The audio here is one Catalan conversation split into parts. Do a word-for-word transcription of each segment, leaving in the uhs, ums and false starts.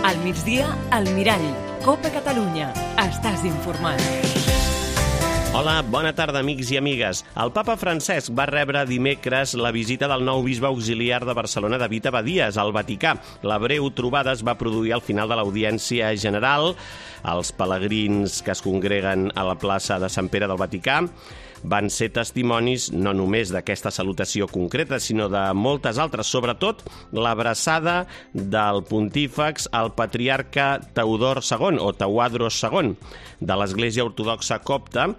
Al migdia, al Mirall. Copa Catalunya. Estàs informat. Hola, bona tarda, amics i amigues. El papa Francesc va rebre dimecres la visita del nou bisbe auxiliar de Barcelona, David Abadies, al Vaticà. La breu trobada es va produir al final de l'audiència general. Els pelegrins que es congreguen a la plaça de Sant Pere del Vaticà van ser testimonis no només d'aquesta salutació concreta, sinó de moltes altres, sobretot l'abraçada del pontífex al patriarca Teodor segon, o Teuadros segon, de l'Església Ortodoxa Copta,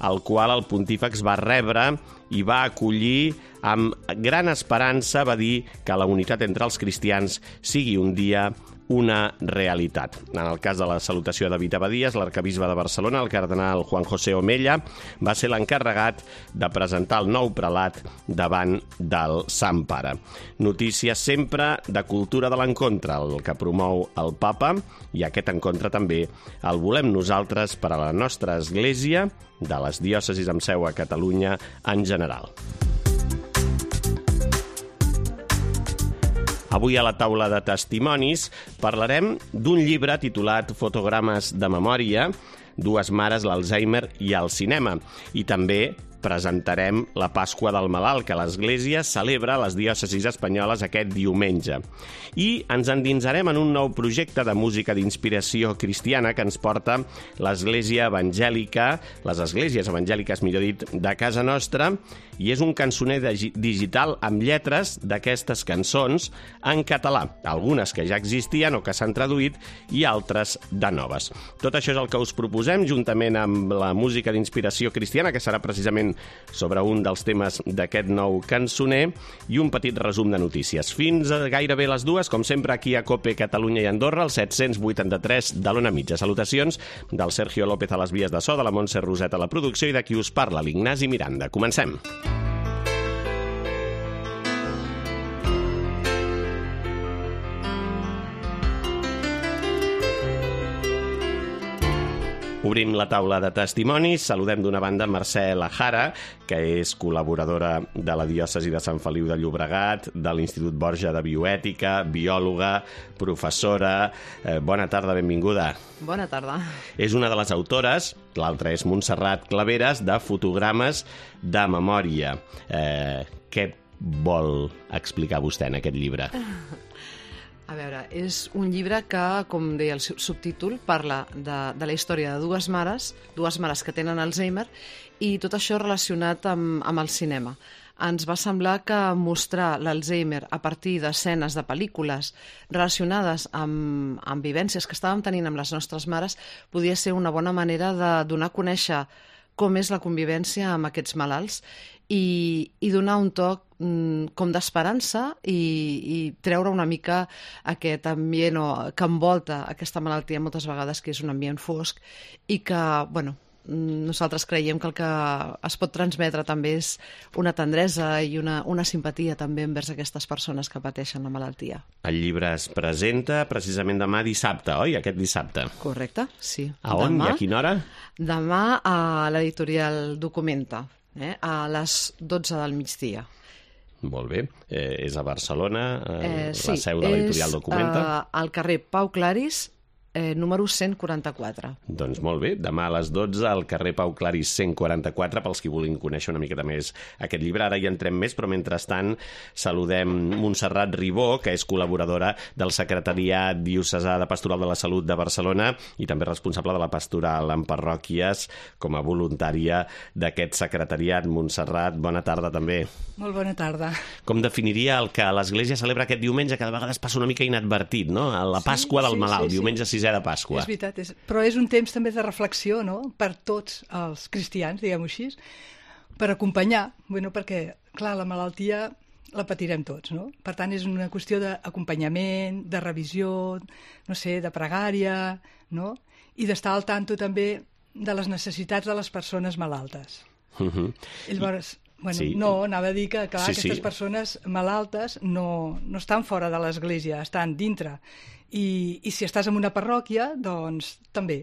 el qual el pontífex va rebre i va acollir amb gran esperança. Va dir que la unitat entre els cristians sigui un dia una realitat. En el cas de la salutació de David Abadies, l'arquebisbe de Barcelona, el cardenal Juan José Omella, va ser l'encarregat de presentar el nou prelat davant del Sant Pare. Notícies sempre de cultura de l'encontre, el que promou el papa, i aquest encontre també el volem nosaltres per a la nostra església, de les diòcesis amb seu a Catalunya en general. Avui a la taula de testimonis parlarem d'un llibre titulat Fotogrames de memòria, dues mares, l'Alzheimer i el cinema, i també presentarem la Pasqua del Malalt, que l'Església celebra a les diòcesis espanyoles aquest diumenge. I ens endinsarem en un nou projecte de música d'inspiració cristiana que ens porta l'Església Evangèlica, les Esglésies Evangèliques, millor dit, de casa nostra, i és un cançoner digital amb lletres d'aquestes cançons en català, algunes que ja existien o que s'han traduït i altres de noves. Tot això és el que us proposem, juntament amb la música d'inspiració cristiana, que serà precisament sobre un dels temes d'aquest nou cançoner, i un petit resum de notícies. Fins a gairebé les dues, com sempre, aquí a Cope Catalunya i Andorra, el set-cents vuitanta-tres de l'Ona Mitja. Salutacions del Sergio López a les vies de so, de la Montse Roset a la producció i de qui us parla, l'Ignasi Miranda. Comencem. Obrim la taula de testimonis. Saludem d'una banda Mercè Lajara, que és col·laboradora de la diòcesi de Sant Feliu de Llobregat, de l'Institut Borja de Bioètica, biòloga, professora. Eh, bona tarda, benvinguda. Bona tarda. És una de les autores, l'altra és Montserrat Claveres, de Fotogrames de memòria. Eh, què vol explicar vostè en aquest llibre? A veure, és un llibre que, com deia el subtítol, parla de, de la història de dues mares, dues mares que tenen Alzheimer, i tot això relacionat amb, amb el cinema. Ens va semblar que mostrar l'Alzheimer a partir d'escenes de pel·lícules relacionades amb, amb vivències que estàvem tenint amb les nostres mares podia ser una bona manera de donar a conèixer com és la convivència amb aquests malalts i, i donar un toc mm, com d'esperança i, i treure una mica aquest ambient o, que envolta aquesta malaltia moltes vegades, que és un ambient fosc i que, bueno, nosaltres creiem que el que es pot transmetre també és una tendresa i una, una simpatia també envers aquestes persones que pateixen la malaltia. El llibre es presenta precisament demà dissabte, oi? Aquest dissabte. Correcte, sí. A on demà, i a quina hora? Demà a l'editorial Documenta, eh? a les dotze del migdia. Molt bé. Eh, és a Barcelona, eh, eh, sí, la seu de l'editorial Documenta? Sí, és al carrer Pau Claris, Eh, número cent quaranta-quatre. Doncs molt bé, demà a les dotze al carrer Pau Claris cent quaranta-quatre, pels qui vulguin conèixer una miqueta més aquest llibre. Ara hi entrem més, però mentrestant saludem Montserrat Ribó, que és col·laboradora del Secretariat Diocesà de Pastoral de la Salut de Barcelona i també responsable de la pastoral en parròquies com a voluntària d'aquest secretariat. Montserrat, bona tarda també. Molt bona tarda. Com definiria el que l'Església celebra aquest diumenge, que de vegades passa una mica inadvertit, no? La Pasqua sí, del sí, Malalt, sí, sí. diumenge sisè de Pasqua. És veritat, és... però és un temps també de reflexió, no?, per tots els cristians, diguem-ho així, per acompanyar, bueno, perquè, clar, la malaltia la patirem tots, no? Per tant, és una qüestió d'acompanyament, de revisió, no sé, de pregària, no?, i d'estar al tanto també de les necessitats de les persones malaltes. Uh-huh. Llavors, bueno, sí. no, anava a dir que, clar, sí, aquestes sí. persones malaltes no, no estan fora de l'església, estan dintre. I, I si estàs en una parròquia, doncs també.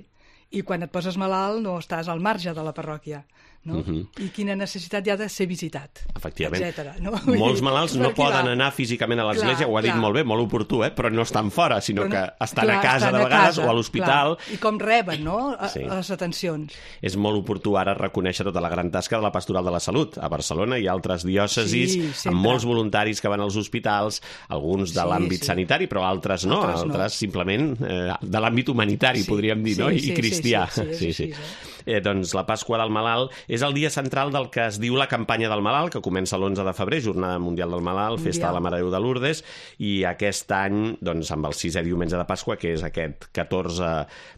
I quan et poses malalt no estàs al marge de la parròquia. no? Uh-huh. I quina necessitat hi ha de ser visitat, efectivament. etcètera. No? Molts malalts no poden anar físicament a l'església, ho ha dit clar. molt bé, molt oportú, eh? Però no estan fora, sinó no, que estan clar, a casa estan de a vegades casa, o a l'hospital. Clar. I com reben, no?, a, sí. les atencions. És molt oportú ara reconèixer tota la gran tasca de la Pastoral de la Salut. A Barcelona hi ha altres diòcesis sí, amb molts voluntaris que van als hospitals, alguns de sí, l'àmbit sí. sanitari, però altres no, altres, altres no. simplement eh, de l'àmbit humanitari, sí, podríem dir, sí, no? I sí, cristià. Sí, sí, sí, sí, sí. sí. Eh, doncs la Pasqua del Malalt és el dia central del que es diu la campanya del Malalt, que comença l'onze de febrer, Jornada Mundial del Malalt, mundial. Festa de la Mare de Déu de Lourdes, i aquest any, doncs, amb el sisè diumenge de Pasqua, que és aquest catorze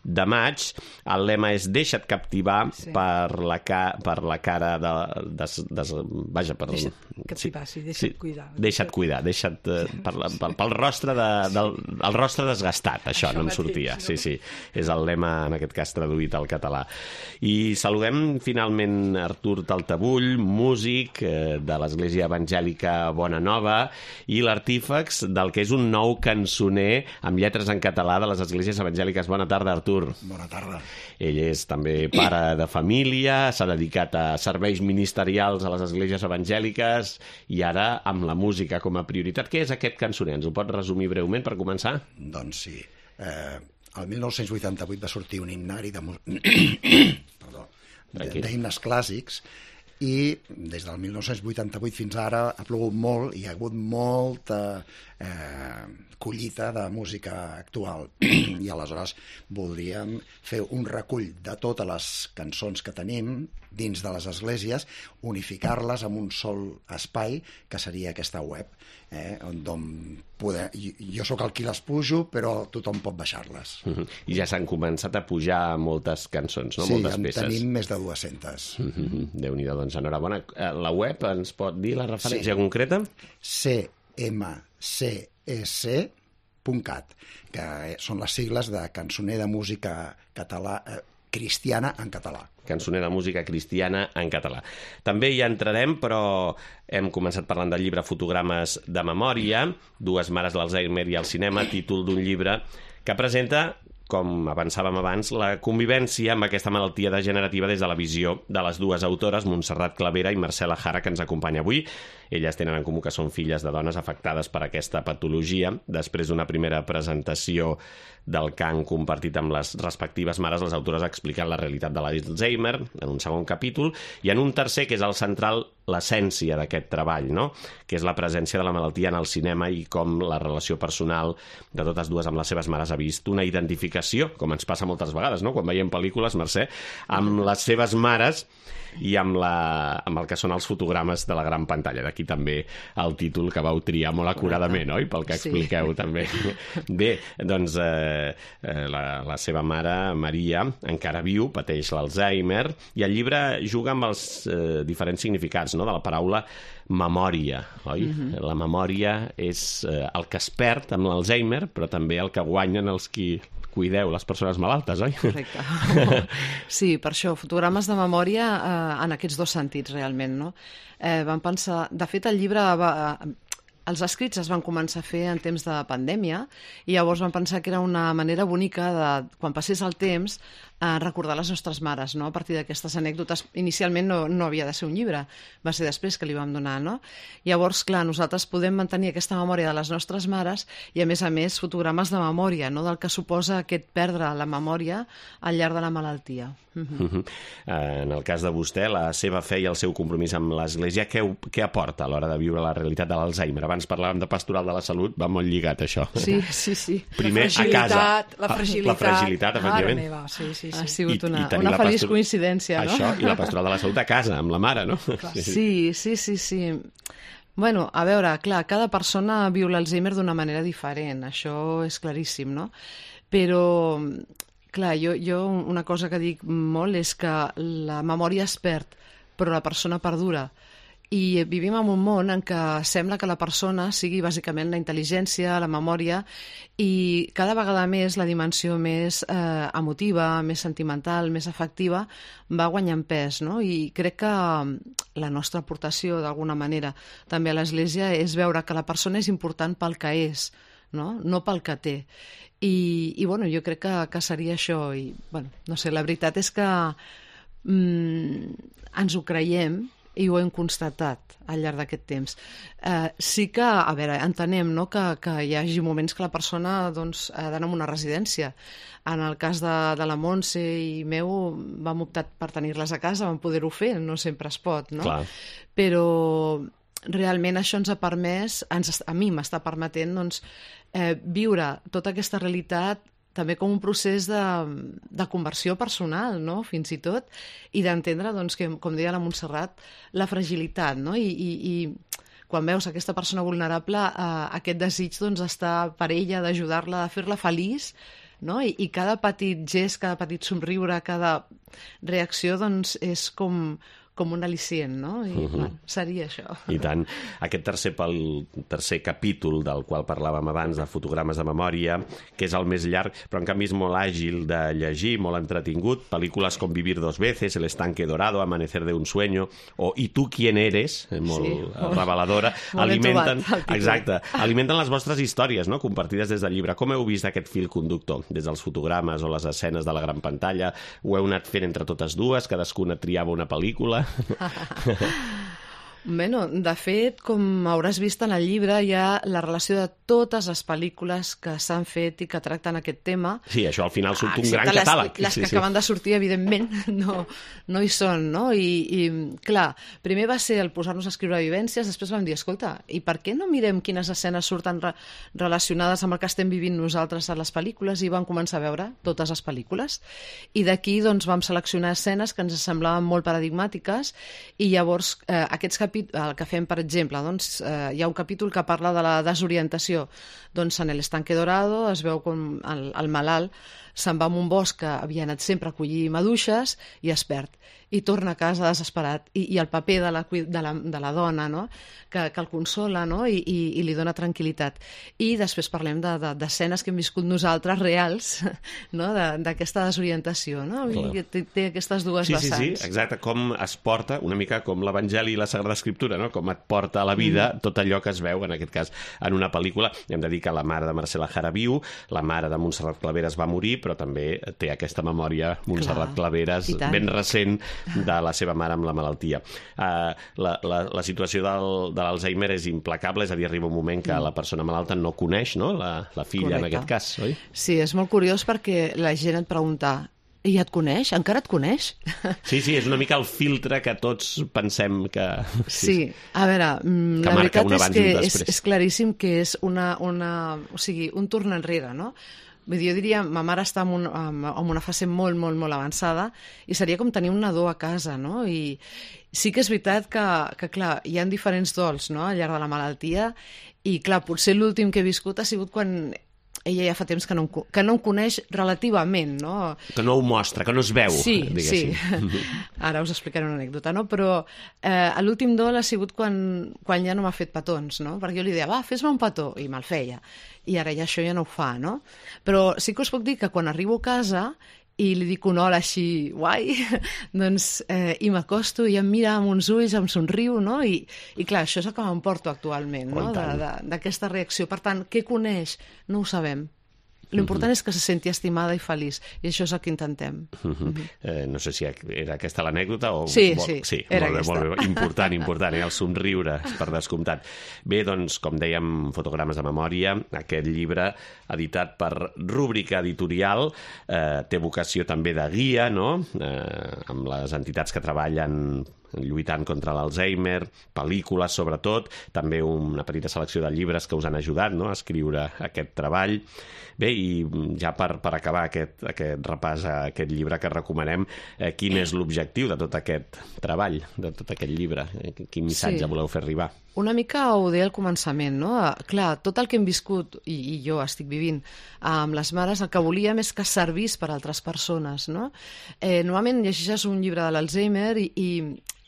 de maig, el lema és deixa't captivar sí. per, la ca per la cara de... de, de, de vaja, per... Deixa't captivar, sí, deixa't sí, cuidar. Deixa't cuidar, deixa't... Eh, per la, pel, pel rostre de, del el rostre desgastat, això, això no em sortia. No? Sí, sí, és el lema, en aquest cas, traduït al català. I saludem finalment Artur Taltabull, músic eh, de l'Església Evangèlica Bona Nova i l'artífex del que és un nou cançoner amb lletres en català de les Esglésies Evangèliques. Bona tarda, Artur. Bona tarda. Ell és també pare de família, s'ha dedicat a serveis ministerials a les Esglésies Evangèliques i ara amb la música com a prioritat. Què és aquest cançoner? Ens ho pot resumir breument per començar? Doncs sí. Eh... El mil nou-cents vuitanta-vuit va sortir un himnari de d'himnes clàssics i des del mil nou-cents vuitanta-vuit fins ara ha plogut molt i hi ha hagut molta eh, collita de música actual i aleshores voldríem fer un recull de totes les cançons que tenim dins de les esglésies, unificar-les en un sol espai que seria aquesta web, eh, on poder... jo sóc el qui les pujo, però tothom pot baixar-les. Uh-huh. I ja s'han començat a pujar moltes cançons, no? Sí, moltes peces. Sí, en tenim més de dues-centes. Uh-huh. Déu-n'hi-do, doncs enhorabona. La web ens pot dir la referència sí. concreta? C M C S punt cat, que són les sigles de Cançoner de Música Català, eh, Cristiana en català. Cançoner de música cristiana en català. També hi entrarem, però hem començat parlant del llibre Fotogrames de memòria, Dues mares l'Alzheimer i el cinema, títol d'un llibre que presenta, com avançàvem abans, la convivència amb aquesta malaltia degenerativa des de la visió de les dues autores, Montserrat Clavera i Marcela Jara, que ens acompanya avui. Elles tenen en comú que són filles de dones afectades per aquesta patologia. Després d'una primera presentació del que han compartit amb les respectives mares, les autores expliquen la realitat de l'Alzheimer en un segon capítol, i en un tercer, que és el central, l'essència d'aquest treball, no? Que és la presència de la malaltia en el cinema i com la relació personal de totes dues amb les seves mares ha vist una identificació, com ens passa moltes vegades, no? Quan veiem pel·lícules, Mercè, amb les seves mares i amb, la, amb el que són els fotogrames de la gran pantalla. D'aquí també el títol que vau triar molt acuradament, oi? Pel que expliqueu, sí. també. Bé, doncs eh, la, la seva mare, Maria, encara viu, pateix l'Alzheimer, i el llibre juga amb els eh, diferents significats, no?, de la paraula memòria, oi? Mm-hmm. La memòria és eh, el que es perd amb l'Alzheimer, però també el que guanyen els qui cuideu, les persones malaltes, oi? Correcte. Sí, per això, fotogrames de memòria eh, en aquests dos sentits, realment, no? Eh, vam pensar... De fet, el llibre... Va, els escrits es van començar a fer en temps de pandèmia i llavors vam pensar que era una manera bonica de, quan passés el temps, eh, recordar les nostres mares, no? A partir d'aquestes anècdotes. Inicialment no, no havia de ser un llibre, va ser després que li vam donar, no? Llavors, clar, nosaltres podem mantenir aquesta memòria de les nostres mares i, a més a més, fotogrames de memòria, no?, del que suposa aquest perdre la memòria al llarg de la malaltia. Uh-huh. Uh-huh. En el cas de vostè, la seva fe i el seu compromís amb l'Església, què, què aporta a l'hora de viure la realitat de l'Alzheimer? Abans parlàvem de pastoral de la salut, va molt lligat això. Sí, sí, sí. Primer a casa. La fragilitat. La fragilitat, efectivament. Meva, sí, sí, sí. Ha sigut una, I, i una feliç pastor... coincidència, no? Això, i la pastoral de la salut a casa, amb la mare, no? Sí, sí, sí, sí. Bueno, a veure, clar, cada persona viu l'Alzheimer d'una manera diferent, això és claríssim, no? Però... Clar, jo, jo una cosa que dic molt és que la memòria es perd, però la persona perdura. I vivim en un món en què sembla que la persona sigui bàsicament la intel·ligència, la memòria, i cada vegada més la dimensió més eh, emotiva, més sentimental, més afectiva, va guanyant pes, no? I crec que la nostra aportació, d'alguna manera, també a l'Església és veure que la persona és important pel que és, no, no pel que té. I, i bueno, jo crec que, que seria això. I, bueno, no sé, la veritat és que mm, ens ho creiem i ho hem constatat al llarg d'aquest temps. Eh, sí que, a veure, entenem, no?, que, que hi hagi moments que la persona doncs, ha d'anar a una residència. En el cas de, de la Montse i meu vam optar per tenir-les a casa, vam poder-ho fer, no sempre es pot, no? Clar. Però realment això ens ha permès, ens, a mi m'està permetent doncs, eh, viure tota aquesta realitat també com un procés de, de conversió personal, no?, fins i tot, i d'entendre, doncs, que, com deia la Montserrat, la fragilitat, no?, i, i, i quan veus aquesta persona vulnerable, eh, aquest desig doncs, d'estar per ella, d'ajudar-la, de fer-la feliç, no?, I, i cada petit gest, cada petit somriure, cada reacció, doncs, és com... com un al·licient, no? I, uh-huh. bueno, seria això. I tant. Aquest tercer, pel, tercer capítol del qual parlàvem abans, de fotogrames de memòria, que és el més llarg, però en canvi és molt àgil de llegir, molt entretingut. Pel·lícules com Vivir dos veces, El estanque dorado, Amanecer de un sueño, o I tu quién eres, molt sí, reveladora. Molt alimenten, trobat, exacte, alimenten les vostres històries, no?, compartides des del llibre. Com heu vist aquest fil conductor? Des dels fotogrames o les escenes de la gran pantalla? Ho heu anat fent entre totes dues? Cadascuna triava una pel·lícula? Bueno, de fet, com hauràs vist en el llibre, hi ha la relació de totes les pel·lícules que s'han fet i que tracten aquest tema. Sí, això al final surt un Excepte gran catàleg. Les, les sí, que sí. acaben de sortir, evidentment, no, no hi són, no? I, I, clar, primer va ser el posar-nos a escriure vivències, després vam dir, escolta, i per què no mirem quines escenes surten re relacionades amb el que estem vivint nosaltres a les pel·lícules? I vam començar a veure totes les pel·lícules. I d'aquí, doncs, vam seleccionar escenes que ens semblaven molt paradigmàtiques i llavors eh, aquests capítols, el que fem, per exemple, doncs, eh, hi ha un capítol que parla de la desorientació. Doncs en El estanque dorado es veu com el, el malalt se'n va a un bosc que havia anat sempre a collir maduixes i es perd. I torna a casa desesperat. I, i el paper de la, de la, de la dona, no?, que, que el consola, no?, I, i, i li dona tranquil·litat. I després parlem d'escenes de, de, que hem viscut nosaltres, reals, no?, d'aquesta de, desorientació, no? I té, té aquestes dues sí, vessants. Sí, sí, exacte, com es porta, una mica com l'Evangeli i la Sagrada Escriptura, no?, com et porta a la vida mm. tot allò que es veu, en aquest cas, en una pel·lícula. Hem de dir que la mare de Marcela Jara viu, la mare de Montserrat Claveres va morir, però també té aquesta memòria, Montserrat Clar, Claveres, ben recent, de la seva mare amb la malaltia. Uh, la, la, la situació del, de l'Alzheimer és implacable, és a dir, arriba un moment que mm. la persona malalta no coneix, no?, la, la filla, correcte, en aquest cas, oi? Sí, és molt curiós perquè la gent et pregunta, i et coneix? Encara et coneix? Sí, sí, és una mica el filtre que tots pensem que... Sí, sí. A veure, la veritat és que és, és claríssim que és una, una, o sigui, un torn enrere, no? Vull dir, jo diria, ma mare està en, un, en una fase molt, molt, molt avançada i seria com tenir un nadó a casa, no? I sí que és veritat que, que clar, hi ha diferents dols, no?, al llarg de la malaltia i, clar, potser l'últim que he viscut ha sigut quan ella ja fa temps que no, que no em coneix relativament, no? Que no ho mostra, que no es veu, sí, diguéssim. Sí, ara us explicaré una anècdota, no? Però eh, l'últim dol ha sigut quan, quan ja no m'ha fet petons, no? Perquè jo li deia, va, fes-me un petó, i me'l feia. I ara ja això ja no ho fa, no? Però sí que us puc dir que quan arribo a casa i li dic un hola així guai, doncs, eh, i m'acosto i em mira amb uns ulls, em somriu, no? I, i clar, això és el que m'emporto actualment, no?, d'aquesta reacció. Per tant, què coneix? No ho sabem. L'important uh-huh. és que se senti estimada i feliç, i això és el que intentem. Uh-huh. Uh-huh. Eh, no sé si era aquesta l'anècdota o... Sí, vol... sí, sí, era molt bé, aquesta. Molt bé. Important, important, eh? El somriure, per descomptat. Bé, doncs, com dèiem, fotogrames de memòria, aquest llibre, editat per Rúbrica Editorial, eh, té vocació també de guia, no?, eh, amb les entitats que treballen lluitant contra l'Alzheimer, pel·lícules sobretot, també una petita selecció de llibres que us han ajudat, no?, a escriure aquest treball. Bé, i ja per, per acabar aquest, aquest repàs a aquest llibre que recomanem, eh, quin és l'objectiu de tot aquest treball, de tot aquest llibre? Quin missatge sí. voleu fer arribar? Una mica ho deia al començament, no? Clar, tot el que hem viscut, i, i jo estic vivint, amb les mares, el que volíem és que servís per a altres persones, no? Eh, normalment llegeixes un llibre de l'Alzheimer i, i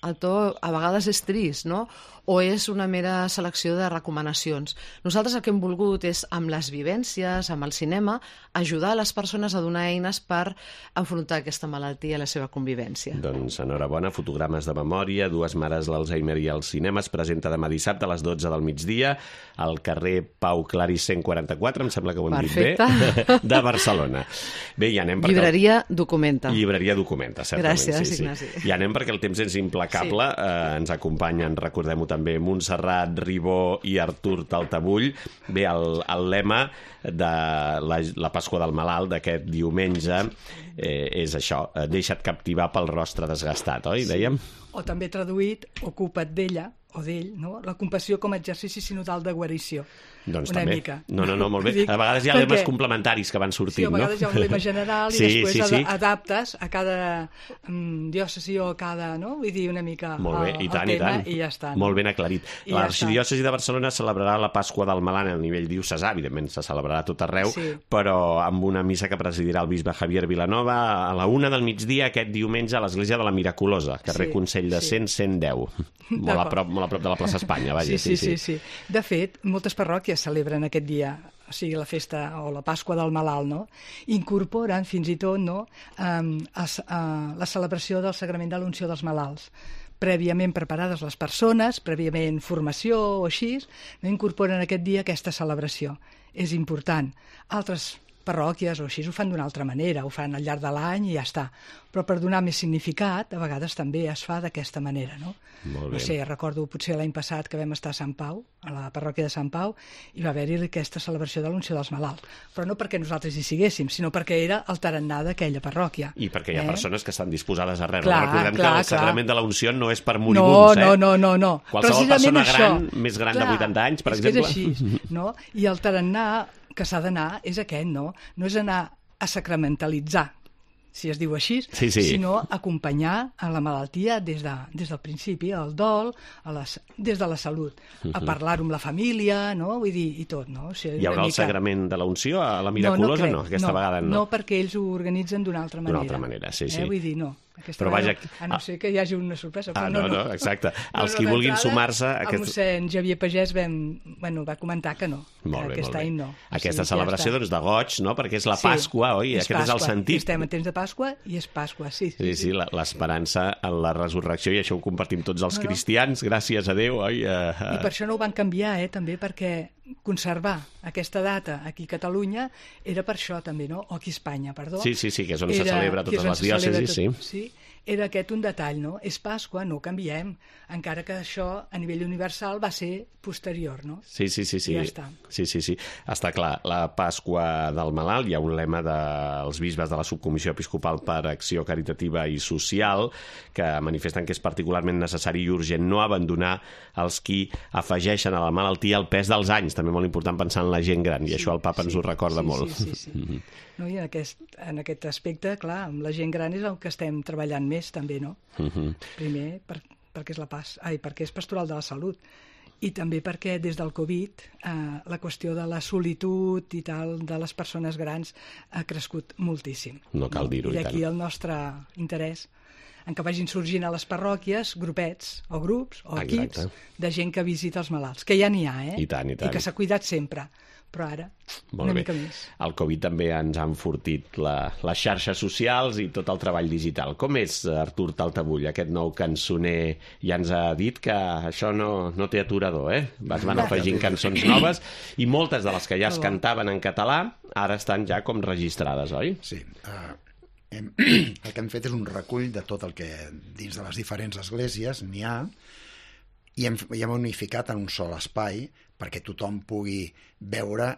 el to a vegades és trist, no? O és una mera selecció de recomanacions. Nosaltres el que hem volgut és, amb les vivències, amb el cinema, ajudar les persones a donar eines per enfrontar aquesta malaltia i la seva convivència. Doncs enhorabona, fotogrames de memòria, Dues mares, l'Alzheimer i el cinema, es presenta demà dissabte a les dotze del migdia al carrer Pau Claris cent quaranta-quatre, em sembla que ho hem Perfecte. dit bé, de Barcelona. Bé, ja anem perquè... Llibreria Documenta. Llibreria Documenta, certament. Gràcies, sí, sí. Ignasi. I anem perquè el temps és implacable. Sí. Eh, ens acompanyen, recordem-ho també, Montserrat Ribó i Artur Taltabull. Bé, el, el lema de la, la Pasqua del Malalt d'aquest diumenge eh, és això, eh, deixa't captivar pel rostre desgastat, oi? Sí. Dèiem? O també traduït, ocupa't d'ella, o d'ell, no? La compassió com a exercici sinodal de guarició. Doncs una també. mica. No, no, no, molt bé. Dic, a vegades hi ha perquè... lemes complementaris que van sortint, no? Sí, a vegades no? hi ha un lema general i sí, després sí, sí. adaptes a cada um, diòcesi o a cada, no? Vull dir, una mica molt bé, el, i tant, el tema i, tant. i ja està. No? Molt ben aclarit. L'Arxidiòcesi ja de Barcelona celebrarà la Pasqua del Malalt a nivell diocesà, evidentment se celebrarà a tot arreu, sí. però amb una missa que presidirà el bisbe Javier Vilanova a la una del migdia aquest diumenge a l'església de la Miraculosa, carrer sí, Consell de Cent, sí. cent deu. Molt a, prop, molt a prop de la plaça Espanya, vaja. Sí, sí, sí, sí, sí. De fet, moltes parròquies celebren aquest dia, o sigui, la festa o la Pasqua del Malalt, no? Incorporen fins i tot, no?, um, a, a la celebració del sagrament de l'unció dels malalts. Prèviament preparades les persones, prèviament formació o així, no incorporen aquest dia aquesta celebració. És important. Altres parròquies o així ho fan d'una altra manera, ho fan al llarg de l'any i ja està. Però per donar més significat, a vegades també es fa d'aquesta manera, no? Molt bé. No sé, recordo potser l'any passat que vam estar a Sant Pau, a la parròquia de Sant Pau, i va haver-hi aquesta celebració de l'unció dels malalts. Però no perquè nosaltres hi siguéssim, sinó perquè era el tarannà d'aquella parròquia. I perquè hi ha eh? persones que estan disposades a rebre. Clar, Recordem clar, que el sagrament clar. de la unció no és per moribuns, no, eh? No, no, no, no. Qualsevol persona gran, això, més gran clar, de vuitanta anys, per és exemple. Que és així, no? I el tarannà que s'ha d'anar és aquest, no? No és anar a sacramentalitzar, si es diu així, sí, sí. sinó acompanyar a la malaltia des, de, des del principi, al dol, a les, des de la salut, uh-huh. a parlar-ho amb la família, no? Vull dir, i tot, no? O sigui, hi haurà mica... el sagrament de la unció a la Miraculosa? No, no, no, aquesta no, vegada no. No, perquè ells ho organitzen d'una altra manera. D'una altra manera, sí, sí. Eh? Vull dir, no. Aquesta però vaja... A no ser que hi hagi una sorpresa. Ah, no, no, no, exacte. Els qui vulguin sumar-se... Aquest... El mossèn Xavier Pagès vam, bueno, va comentar que no, molt que bé, aquest molt bé. any no. Aquesta o sigui, celebració, ja doncs, de goig, no?, perquè és la sí, Pasqua, oi? És Aquest Pasqua. és el sentit. Estem en temps de Pasqua i és Pasqua, sí. Sí, sí, sí, l'esperança en la resurrecció, i això ho compartim tots els no, cristians, gràcies a Déu, oi? Uh, uh... I per això no ho van canviar, eh, també, perquè conservar aquesta data aquí a Catalunya era per això també, no? O aquí a Espanya, perdó. Sí, sí, sí, que és on era, se celebra totes les diòcesis, sí. sí. Era aquest un detall, no? És Pasqua, no ho canviem, encara que això a nivell universal va ser posterior, no? Sí, sí, sí. sí. I ja està. Sí, sí, sí. Està clar, la Pasqua del Malalt, hi ha un lema dels bisbes de la Subcomissió Episcopal per Acció Caritativa i Social que manifesten que és particularment necessari i urgent no abandonar els qui afegeixen a la malaltia el pes dels anys. També molt important pensar en la gent gran, i sí, això el papa sí, ens ho recorda sí, molt. Sí, sí, sí. No, i en aquest, en aquest aspecte, clar, amb la gent gran és el que estem treballant més, també, no? Uh-huh. Primer, per, perquè, és la pas, ai, perquè és pastoral de la salut, i també perquè des del Covid eh, la qüestió de la solitud i tal de les persones grans ha crescut moltíssim. No cal dir-ho, i d'aquí el nostre interès en què vagin sorgint a les parròquies grupets o grups o equips Exacte. De gent que visita els malalts, que ja n'hi ha, eh? I tant, i tant. I que s'ha cuidat sempre. Però ara, molt una bé. mica més. El Covid també ens ha enfortit la, les xarxes socials i tot el treball digital. Com és, Artur Taltabull, aquest nou cançoner? Ja ens ha dit que això no, no té aturador, eh? Es van afegint cançons noves i moltes de les que ja es cantaven en català ara estan ja com registrades, oi? Sí. Uh, hem, el que hem fet és un recull de tot el que dins de les diferents esglésies n'hi ha i hem, i hem unificat en un sol espai perquè tothom pugui veure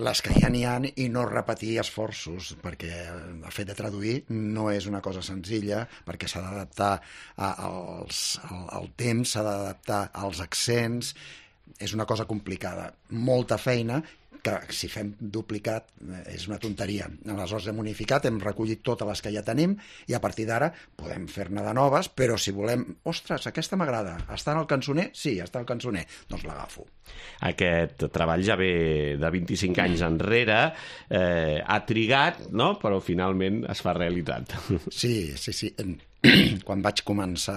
les que ja n'hi ha i no repetir esforços, perquè el fet de traduir no és una cosa senzilla, perquè s'ha d'adaptar als, al, al temps, s'ha d'adaptar als accents, és una cosa complicada, molta feina, que si fem duplicat és una tonteria. Aleshores hem unificat, hem recollit totes les que ja tenim i a partir d'ara podem fer-ne de noves, però si volem, ostres, aquesta m'agrada, està en el cançoner? Sí, està al cançoner, doncs l'agafo. Aquest treball ja ve de vint-i-cinc anys enrere, eh, ha trigat, no? Però finalment es fa realitat. Sí, sí, sí. quan vaig començar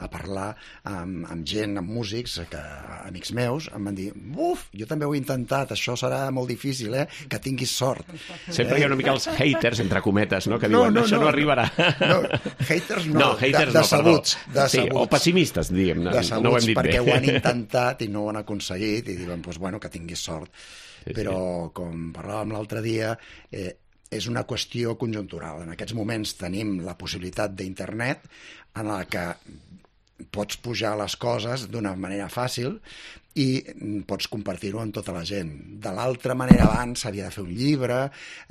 a parlar amb, amb gent, amb músics, que, amics meus, em van dir, uf, jo també ho he intentat, això serà molt difícil, eh? Que tinguis sort. Sempre eh? hi ha una mica els haters, entre cometes, no? Que no, diuen, no, això no, no arribarà. No, haters no, no haters de, no, decebuts, perdó. Sí, o pessimistes, diguem, no, decebuts, no ho hem dit perquè bé. ho han intentat i no ho han aconseguit i diuen, pues, bueno, que tinguis sort. Sí, però, sí. Com parlàvem l'altre dia, eh, és una qüestió conjuntural. En aquests moments tenim la possibilitat d'internet en la que pots pujar les coses d'una manera fàcil i pots compartir-ho amb tota la gent. De l'altra manera, abans s'havia de fer un llibre,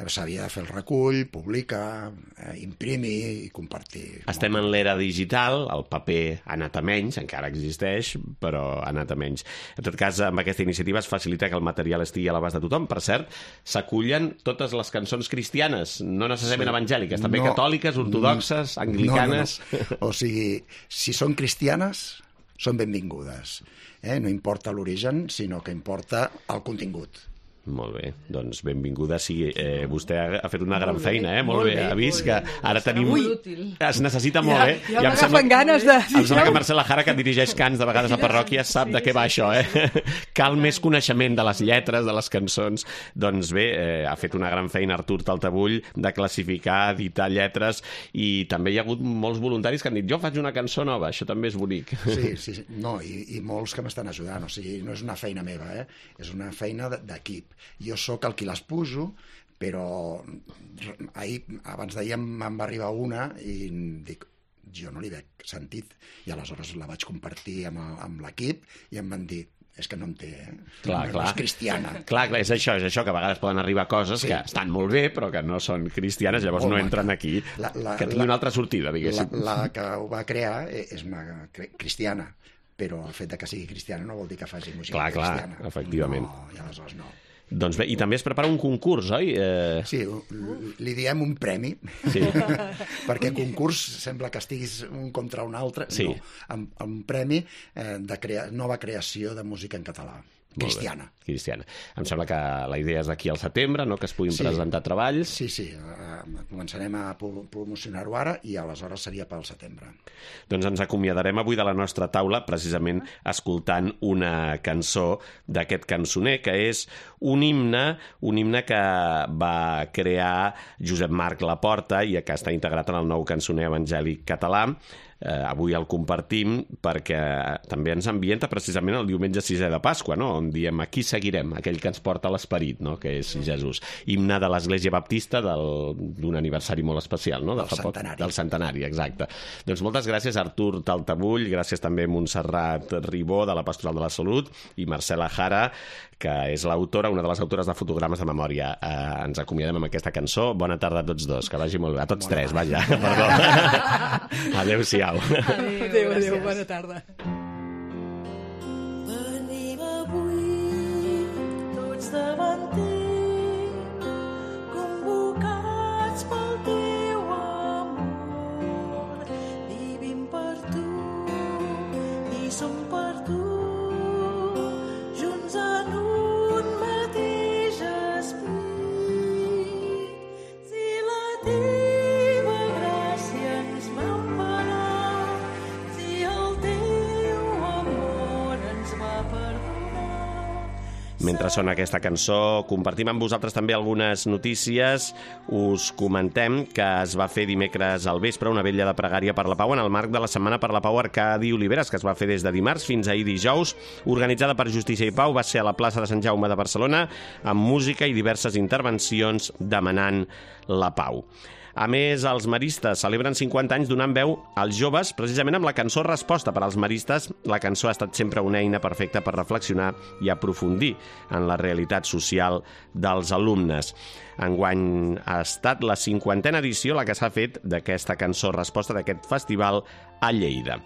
s'havia de fer el recull, publicar, eh, imprimir i compartir. Estem en l'era digital, el paper ha anat a menys, encara existeix, però ha anat a menys. En tot cas, amb aquesta iniciativa es facilita que el material estigui a l'abast de tothom. Per cert, s'acullen totes les cançons cristianes, no necessàriament sí. evangèliques, també no, catòliques, ortodoxes, anglicanes... No, no, no. O sigui, si són cristianes, són benvingudes. Eh? No importa l'origen, sinó que importa el contingut. Molt bé, doncs benvinguda sigui. Eh, vostè ha, ha fet una gran bé, feina, eh? Molt, molt bé. bé. Ha vist que bé. Ara tenim... Ui. Es necessita molt, ja, eh? Ja, ja em sembla... ganes de... Em sembla que Marcela Jara, que dirigeix cants de vegades a parròquies, sap sí, de què va sí, això, eh? Cal més coneixement de les lletres, de les cançons. Doncs bé, eh, ha fet una gran feina Artur Taltabull de classificar, editar lletres, i també hi ha hagut molts voluntaris que han dit, jo faig una cançó nova, això també és bonic. Sí, sí, sí. No, i, i molts que m'estan ajudant, o sigui, no és una feina meva, eh? És una feina d'equip. Jo sóc el qui les pujo, però ahir, abans d'ahir me'n va arribar una i dic, jo no li veig sentit, i aleshores la vaig compartir amb, amb l'equip i em van dir, és que no en té, eh? Clar, no, clar. no és cristiana. Clar, clar, és això, és això, que a vegades poden arribar coses sí. que estan molt bé, però que no són cristianes, llavors molt no entren maca. Aquí, la, la, que tingui una altra sortida, diguéssim. La, la que ho va crear és una cristiana, però el fet de que sigui cristiana no vol dir que faci música clar, cristiana. Clar, efectivament. No, i aleshores no. Doncs bé, i també es prepara un concurs, oi? Eh... Sí, li diem un premi, sí. perquè concurs sembla que estiguis un contra un altre. Sí. No, amb, amb un premi eh, de crea... nova creació de música en català. Cristiana. Cristiana. Em sembla que la idea és d'aquí al setembre, no? Que es puguin sí. presentar treballs. Sí, sí. Uh, començarem a promocionar-ho ara i aleshores seria pel setembre. Doncs ens acomiadarem avui de la nostra taula precisament escoltant una cançó d'aquest cançoner, que és un himne, un himne que va crear Josep Marc Laporta i que està integrat en el nou cançoner evangèlic català. Eh, avui el compartim perquè també ens ambienta precisament el diumenge sisè de Pasqua, no? On diem aquí seguirem, aquell que ens porta l'esperit, no? Que és Jesús. Himne de l'Església Baptista d'un aniversari molt especial, no? De del centenari. Poc, del centenari, exacte. Doncs moltes gràcies Artur Taltabull, gràcies també a Montserrat Ribó de la Pastoral de la Salut i Marcela Jara, que és l'autora, una de les autores de fotogrames de memòria. Eh, ens acomiadem amb aquesta cançó. Bona tarda a tots dos, que vagi molt bé. A tots bona tres, vaja. Perdó. Adéu-siau. Adéu, adéu, adéu, bona tarda. Venim avui tots davant teu, convocats pel teu amor. Vivim per tu i som per tu, junts en un mateix esperit. Si la teva gràcia ens va emparar, si el teu amor ens va perdonar. Mentre sona aquesta cançó, compartim amb vosaltres també algunes notícies. Us comentem que es va fer dimecres al vespre una vetlla de pregària per la pau en el marc de la Setmana per la Pau Arcadi Oliveres, que es va fer des de dimarts fins ahir dijous, organitzada per Justícia i Pau. Va ser a la plaça de Sant Jaume de Barcelona, amb música i diverses intervencions demanant la pau. A més, els maristes celebren cinquanta anys donant veu als joves, precisament amb la cançó Resposta. Per als maristes, la cançó ha estat sempre una eina perfecta per reflexionar i aprofundir en la realitat social dels alumnes. Enguany ha estat la cinquantena edició la que s'ha fet d'aquesta cançó Resposta, d'aquest festival a Lleida.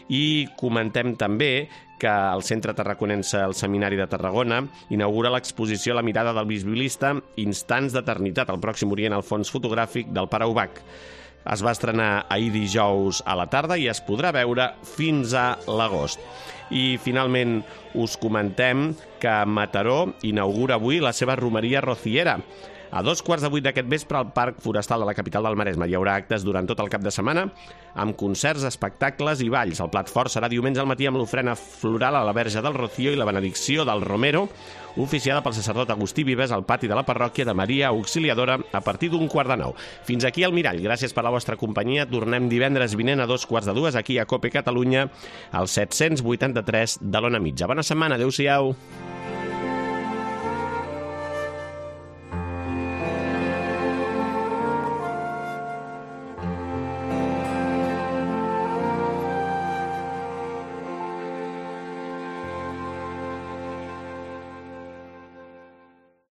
I comentem també que el Centre Tarraconense, el Seminari de Tarragona, inaugura l'exposició La mirada del bisbilista, Instants d'eternitat, al Pròxim Orient, al fons fotogràfic del Pare Ubach. Es va estrenar ahir dijous a la tarda i es podrà veure fins a l'agost. I finalment us comentem que Mataró inaugura avui la seva romeria rociera. A dos quarts de vuit d'aquest vespre al Parc Forestal de la capital del Maresme hi haurà actes durant tot el cap de setmana amb concerts, espectacles i balls. El plat fort serà diumenge al matí amb l'ofrena floral a la Verge del Rocío i la benedicció del Romero, oficiada pel sacerdot Agustí Vives al pati de la parròquia de Maria Auxiliadora a partir d'un quart de nou. Fins aquí el Mirall. Gràcies per la vostra companyia. Tornem divendres vinent a dos quarts de dues aquí a COPE Catalunya, al set cents vuitanta-tres de l'Ona Mitja. Bona setmana. Adéu-siau.